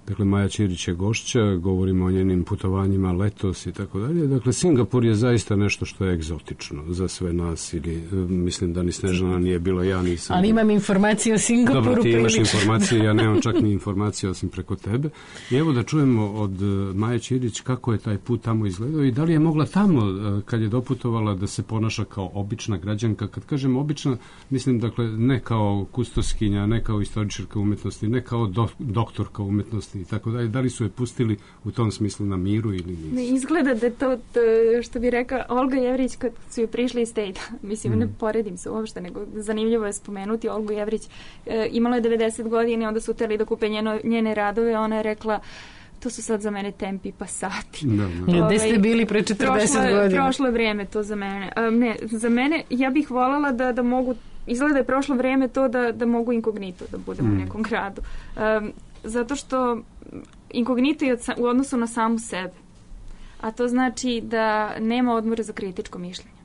Dakle, Maja Ćirić je gošća, govorimo o njenim putovanjima letos i tako dalje. Dakle, Singapur je zaista nešto što je egzotično za sve nas, ili mislim da ni Snežana nije bila, ja nisam. Ali imam informacije o Singapuru. Dobro, ti imaš prilično. informacije, ja nemam čak ni informacije osim preko tebe. I evo da čujemo od Maje Ćirić kako je taj put tamo izgledao i da li je mogla tamo, kad je doputovala, da se ponaša kao obična građanka. Kad kažem obična, mislim, dakle, ne kao kustoskinja, ne kao istoričarka umetnosti, ne kao do, doktorka umetnosti i tako dalje. Da li su je pustili u tom smislu na miru ili nisu? Ne, izgleda da to, to što bi rekla Olga Jevrić kad su joj prišli iz Stejta. Mislim, mm. ne poredim se uopšte, nego zanimljivo je spomenuti Olgu Jevrić. E, imala je devedeset godina, onda su hteli da kupe njeno, njene radove, ona je rekla to su sad za mene tempi pa sati. Da, da. Gde ste bili pre četrdeset prošlo, godina? Prošlo je vrijeme to za mene. Um, ne, za mene, ja bih voljela da, da mogu, izgleda da je prošlo vrijeme to da, da mogu inkognito da budem mm. u nekom gradu. Um, zato što inkognito je u odnosu na samu sebe. A to znači da nema odmora za kritičko mišljenje.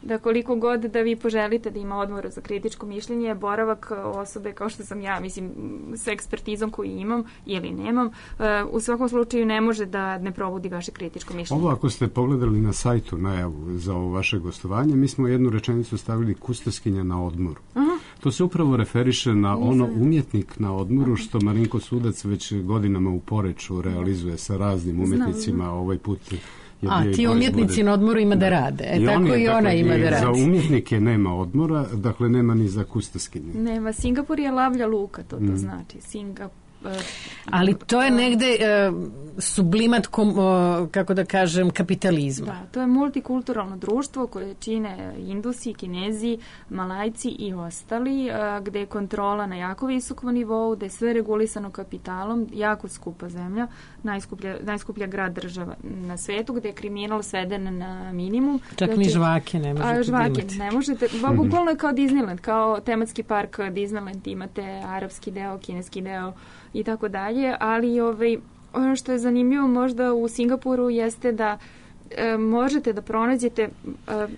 Da koliko god da vi poželite da ima odmora za kritičko mišljenje, boravak osobe kao što sam ja, mislim, sa ekspertizom koju imam ili nemam, u svakom slučaju ne može da ne probudi vaše kritičko mišljenje. Ovo ako ste pogledali na sajtu najavu za ovo vaše gostovanje, mi smo jednu rečenicu stavili kustoskinja na odmoru. Aha. To se upravo referiše na Nisam. ono umjetnik na odmoru što Marinko Sudac već godinama u Poreču realizuje sa raznim umjetnicima. Znam. Ovaj put A, ti umjetnici na odmoru ima da, da rade. E, I tako on, i ona dakle, ima da radi. Za umjetnike nema odmora, dakle nema ni za kustoskinje. Nema. Singapur je lavlja luka, to, to mm. znači. Singapur Ali to je negde uh, sublimat, kom, uh, kako da kažem, kapitalizma. Da, to je multikulturalno društvo koje čine Indusi, Kinezi, Malajci i ostali, uh, gde je kontrola na jako visokom nivou, gde je sve regulisano kapitalom, jako skupa zemlja, najskuplja, najskuplja grad država na svetu, gde je kriminal sveden na minimum. Čak znači, ni žvake ne možete a, žvake imati. ne možete, bukvalno je kao Disneyland, kao tematski park Disneyland, imate arapski deo, kineski deo i tako dalje, ali ovaj, ono što je zanimljivo možda u Singapuru jeste da e, možete da pronađete, e,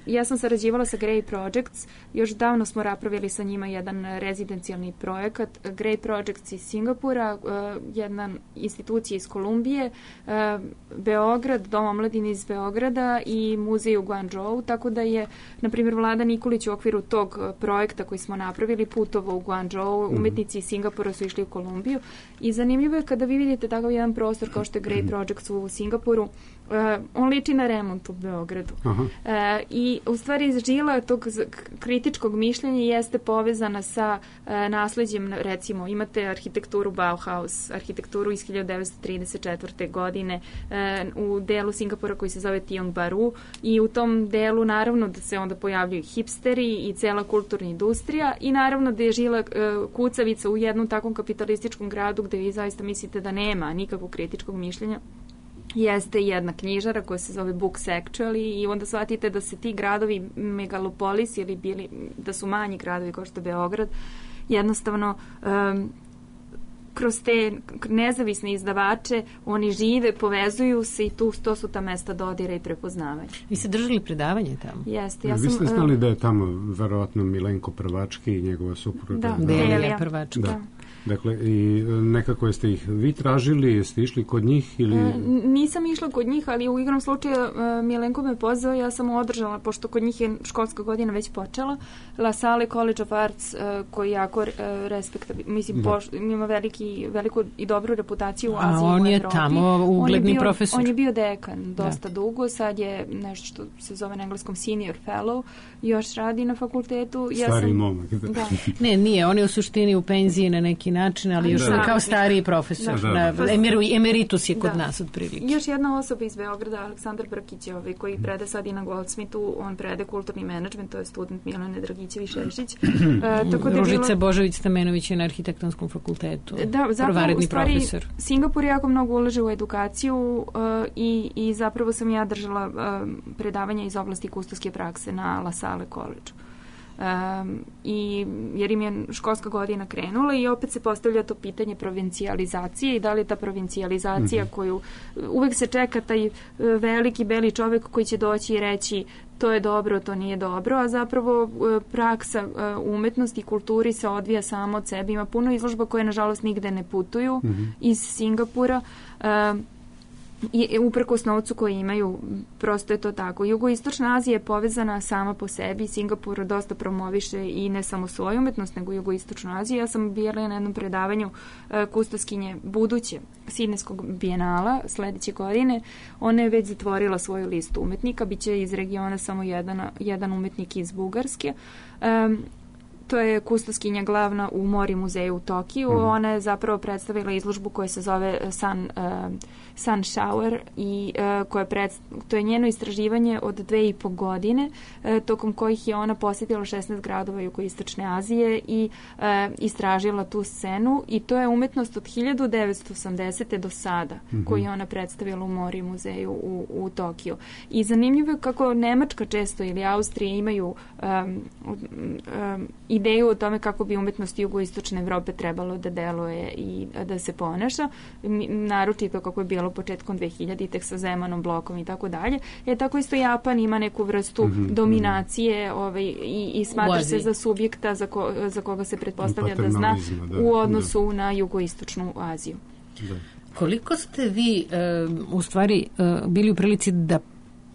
ja sam sarađivala sa Grey Projects, još davno smo napravili sa njima jedan rezidencijalni projekat, Grey Projects iz Singapura, e, jedna institucija iz Kolumbije, e, Beograd, Dom omladine iz Beograda i muzej u Guangzhou, tako da je, na primjer, Vlada Nikolić u okviru tog projekta koji smo napravili putovo u Guangzhou, umetnici iz Singapura su išli u Kolumbiju i zanimljivo je kada vi vidite takav jedan prostor kao što je Grey Projects u Singapuru, Uh, on liči na remont u Beogradu. Uh, I u stvari žila tog kritičkog mišljenja jeste povezana sa uh, nasleđem, recimo imate arhitekturu Bauhaus, arhitekturu iz hiljadu devetsto trideset četvrte. godine uh, u delu Singapura koji se zove Tiong Bahru i u tom delu naravno da se onda pojavljuju hipsteri i cela kulturna industrija i naravno da je žila uh, kucavica u jednom takvom kapitalističkom gradu gde vi zaista mislite da nema nikakvog kritičkog mišljenja. Jeste jedna knjižara koja se zove Books Actually i onda shvatite da se ti gradovi megalopolis ili bili, da su manji gradovi kao što je Beograd, jednostavno um, kroz te nezavisne izdavače oni žive, povezuju se i tu to su ta mesta dodira i prepoznavanja. Vi ste držali predavanje tamo? Jeste. Ja ja, sam, vi ste znali da je tamo verovatno Milenko Prvački i njegova supruga? Da, Delija Prvački. Da. Dakle, i nekako jeste ih vi tražili, jeste išli kod njih ili... E, nisam išla kod njih, ali u igrom slučaju e, Milenko me pozvao, ja sam održala, pošto kod njih je školska godina već počela, La Salle College of Arts, e, koji jako e, respektabilno, mislim, poš, ima veliki, veliku i dobru reputaciju u Aziji i u Evropi. A on je tamo ugledni on je bio, profesor. On je bio dekan dosta da. dugo, sad je nešto što se zove na engleskom senior fellow, još radi na fakultetu. Ja Stari sam, momak. Da. Ne, nije, on je u suštini u penziji na neki način, ali još da. kao stariji profesor. Da. Da, da. Emer, emeritus je kod da. nas otprilike. Još jedna osoba iz Beograda, Aleksandar Brkić, ovaj, koji prede sad i na Goldsmithu, on prede kulturni menadžment, to je student Milane Dragićević-Šešić. Uh, tako da Ružica bilo... Božović-Stamenović je na arhitektonskom fakultetu. Da, zapravo, u stvari, profesor. Singapur jako mnogo ulaže u edukaciju uh, i, i zapravo sam ja držala uh, predavanja iz oblasti kustoske prakse na La Salle College. Um, i jer im je školska godina krenula i opet se postavlja to pitanje provincijalizacije i da li je ta provincijalizacija mm-hmm. koju uvek se čeka taj veliki beli čovek koji će doći i reći to je dobro, to nije dobro, a zapravo praksa umetnosti i kulturi se odvija samo od sebe. Ima puno izložba koje nažalost nigde ne putuju mm-hmm. iz Singapura. Um, i uprkos novcu koji imaju, prosto je to tako. Jugoistočna Azija je povezana sama po sebi, Singapur dosta promoviše i ne samo svoju umetnost, nego jugoistočnu Aziju. Ja sam bila na jednom predavanju uh, kustoskinje buduće Sidnejskog bijenala sledeće godine. Ona je već zatvorila svoju listu umetnika, biće iz regiona samo jedan, jedan umetnik iz Bugarske. Um, To je kustoskinja glavna u Mori muzeju u Tokiju. Mm-hmm. Ona je zapravo predstavila izložbu koja se zove Sun, uh, Sun Shower i uh, koja pred, to je njeno istraživanje od dve i po godine, uh, tokom kojih je ona posjetila šesnaest gradova jugoistočne Azije i uh, istražila tu scenu i to je umetnost od hiljadu devetsto osamdesete do sada mm-hmm. koju je ona predstavila u Mori muzeju u, u Tokiju. I zanimljivo je kako Nemačka često ili Austrija imaju um, um, ideju o tome kako bi umetnost jugoistočne Evrope trebalo da deluje i da se ponaša, naročito kako je bilo početkom dve hiljaditih sa Zemanom, blokom i tako dalje. Je tako isto Japan ima neku vrstu mm-hmm. dominacije ovaj, i, i smatra se za subjekta za, ko, za koga se pretpostavlja da zna da, u odnosu da. na jugoistočnu Aziju. Da. Koliko ste vi uh, u stvari uh, bili u prilici da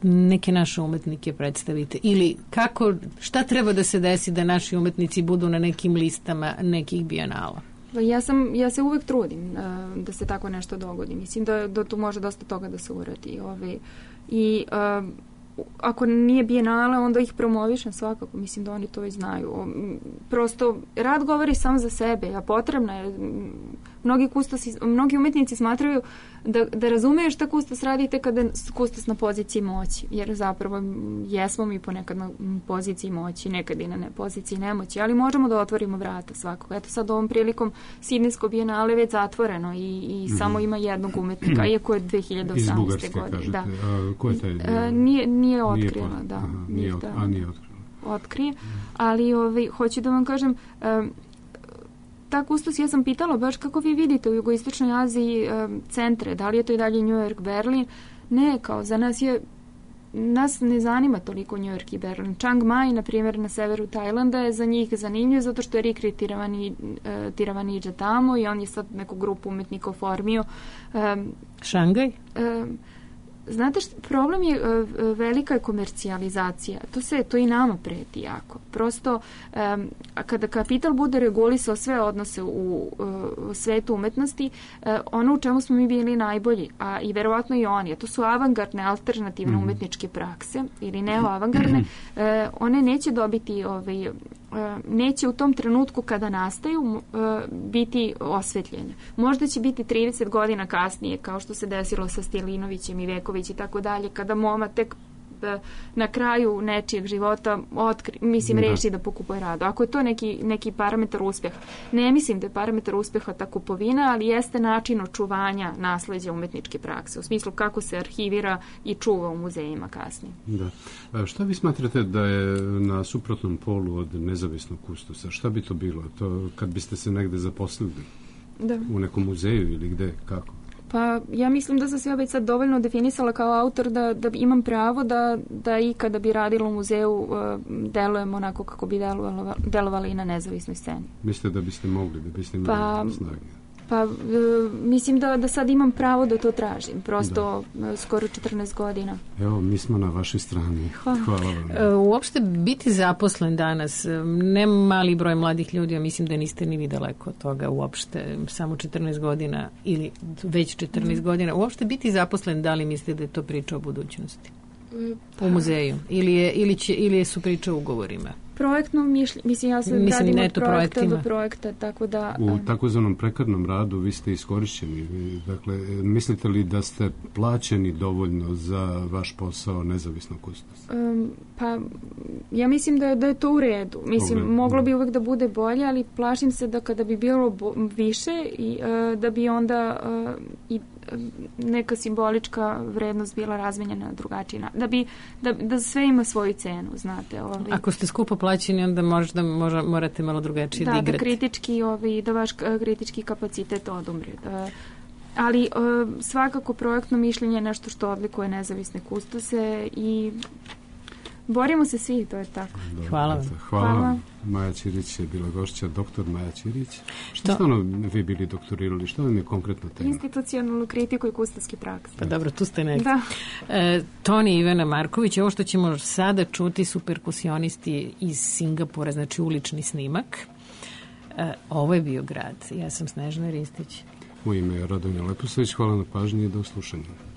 neke naše umetnike predstavite ili kako, šta treba da se desi da naši umetnici budu na nekim listama nekih bijenala? Ja sam, ja se uvek trudim uh, da se tako nešto dogodi. Mislim da, da tu može dosta toga da se uradi. Ove, I uh, ako nije bijenale, onda ih promovišem svakako. Mislim da oni to već znaju. Prosto, rad govori sam za sebe, a potrebna je mnogi kustosi, mnogi umetnici smatraju da, da razumeš šta kustos radite kada kustos na poziciji moći, jer zapravo jesmo mi ponekad na poziciji moći, nekad i na ne poziciji nemoći, ali možemo da otvorimo vrata svakog. Eto sad ovom prilikom Sidnejsko bijenale već zatvoreno i, i mm-hmm. samo ima jednog umetnika, iako je dve hiljade osamnaeste. Iz Bugarske, godine. kažete. Da. A, ko je taj? A, nije, nije otkrila, nije da. Aha, nije, od, a, nije otkrila. Otkrije, ali ovaj, hoću da vam kažem, um, ta kustos, ja sam pitala baš kako vi vidite u jugoistočnoj Aziji um, centre, da li je to i dalje New York, Berlin, ne, kao za nas je, nas ne zanima toliko New York i Berlin. Chiang Mai, na primjer, na severu Tajlanda je za njih zanimljiv zato što je Rikri Tiravani, uh, Tiravaniđa tamo i on je sad neku grupu umetnika oformio. Um, Šangaj? Um, Znate što, problem je uh, velika je komercijalizacija. To se, to i nama preti jako. Prosto, um, kada kapital bude regulisao sve odnose u uh, svetu umetnosti, uh, ono u čemu smo mi bili najbolji, a i verovatno i oni, a to su avangardne, alternativne mm. umetničke prakse ili neoavangardne, uh, one neće dobiti ovaj, uh, neće u tom trenutku kada nastaju uh, biti osvetljene. Možda će biti trideset godina kasnije, kao što se desilo sa Stilinovićem i Vekovićem i tako dalje, kada moma tek na kraju nečijeg života otkri, mislim, da. reši da pokupuje radu. Ako je to neki, neki parametar uspeha. Ne mislim da je parametar uspeha ta kupovina, ali jeste način očuvanja nasleđa umetničke prakse, u smislu kako se arhivira i čuva u muzejima kasnije. Da. A šta vi smatrate da je na suprotnom polu od nezavisnog kustosa? Šta bi to bilo? To kad biste se negde zaposlili? Da. U nekom muzeju ili gde? Kako? Pa ja mislim da sam se ja već sad dovoljno definisala kao autor da, da imam pravo da, da i kada bi radila u muzeju uh, delujem onako kako bi delovali, delovali i na nezavisnoj sceni. Mislite da biste mogli, da biste imali pa, snage? Pa uh, mislim da, da sad imam pravo da to tražim. Prosto da. skoro četrnaest godina. Evo, mi smo na vašoj strani. Hvala, Hvala vam. E, uopšte biti zaposlen danas, ne mali broj mladih ljudi, ja mislim da niste ni vi daleko od toga uopšte, samo četrnaest godina ili već četrnaest mm. godina. Uopšte biti zaposlen, da li mislite da je to priča o budućnosti? Pa. U muzeju? Ili, je, ili, će, ili su priče o ugovorima? Projektno mišljenje, mislim, ja se radim od projekta projektima. do projekta, tako da... U takozvanom prekarnom radu vi ste iskorišćeni. Dakle, mislite li da ste plaćeni dovoljno za vaš posao nezavisnog kustosa? Um, pa, ja mislim da je, da je to u redu. Mislim, Dobre, moglo bi uvek da bude bolje, ali plašim se da kada bi bilo bo, više, i, uh, da bi onda uh, i neka simbolička vrednost bila razmenjena na drugačiji način. Da, bi, da, da sve ima svoju cenu, znate. Ovaj. Ako ste skupo plaćeni, onda možda, možda morate malo drugačije da, da igrate. Da, kritički, ovaj, da vaš kritički kapacitet odumre. Da, ali uh, svakako projektno mišljenje je nešto što odlikuje nezavisne kustose i borimo se svi, to je tako. Dobre, hvala vam. Hvala, hvala vam. Maja Ćirić je bila gošća, doktor Maja Ćirić. Što ste ono vi bili doktorirali? Što vam je konkretno tema? Institucionalnu kritiku i kustoske prakse. Pa dobro, tu ste negdje. Da. E, Toni Ivana Marković, ovo što ćemo sada čuti su perkusionisti iz Singapura, znači ulični snimak. E, ovo je bio grad. Ja sam Snežana Ristić. U ime Radonja Leposavić, hvala na pažnji i do slušanja.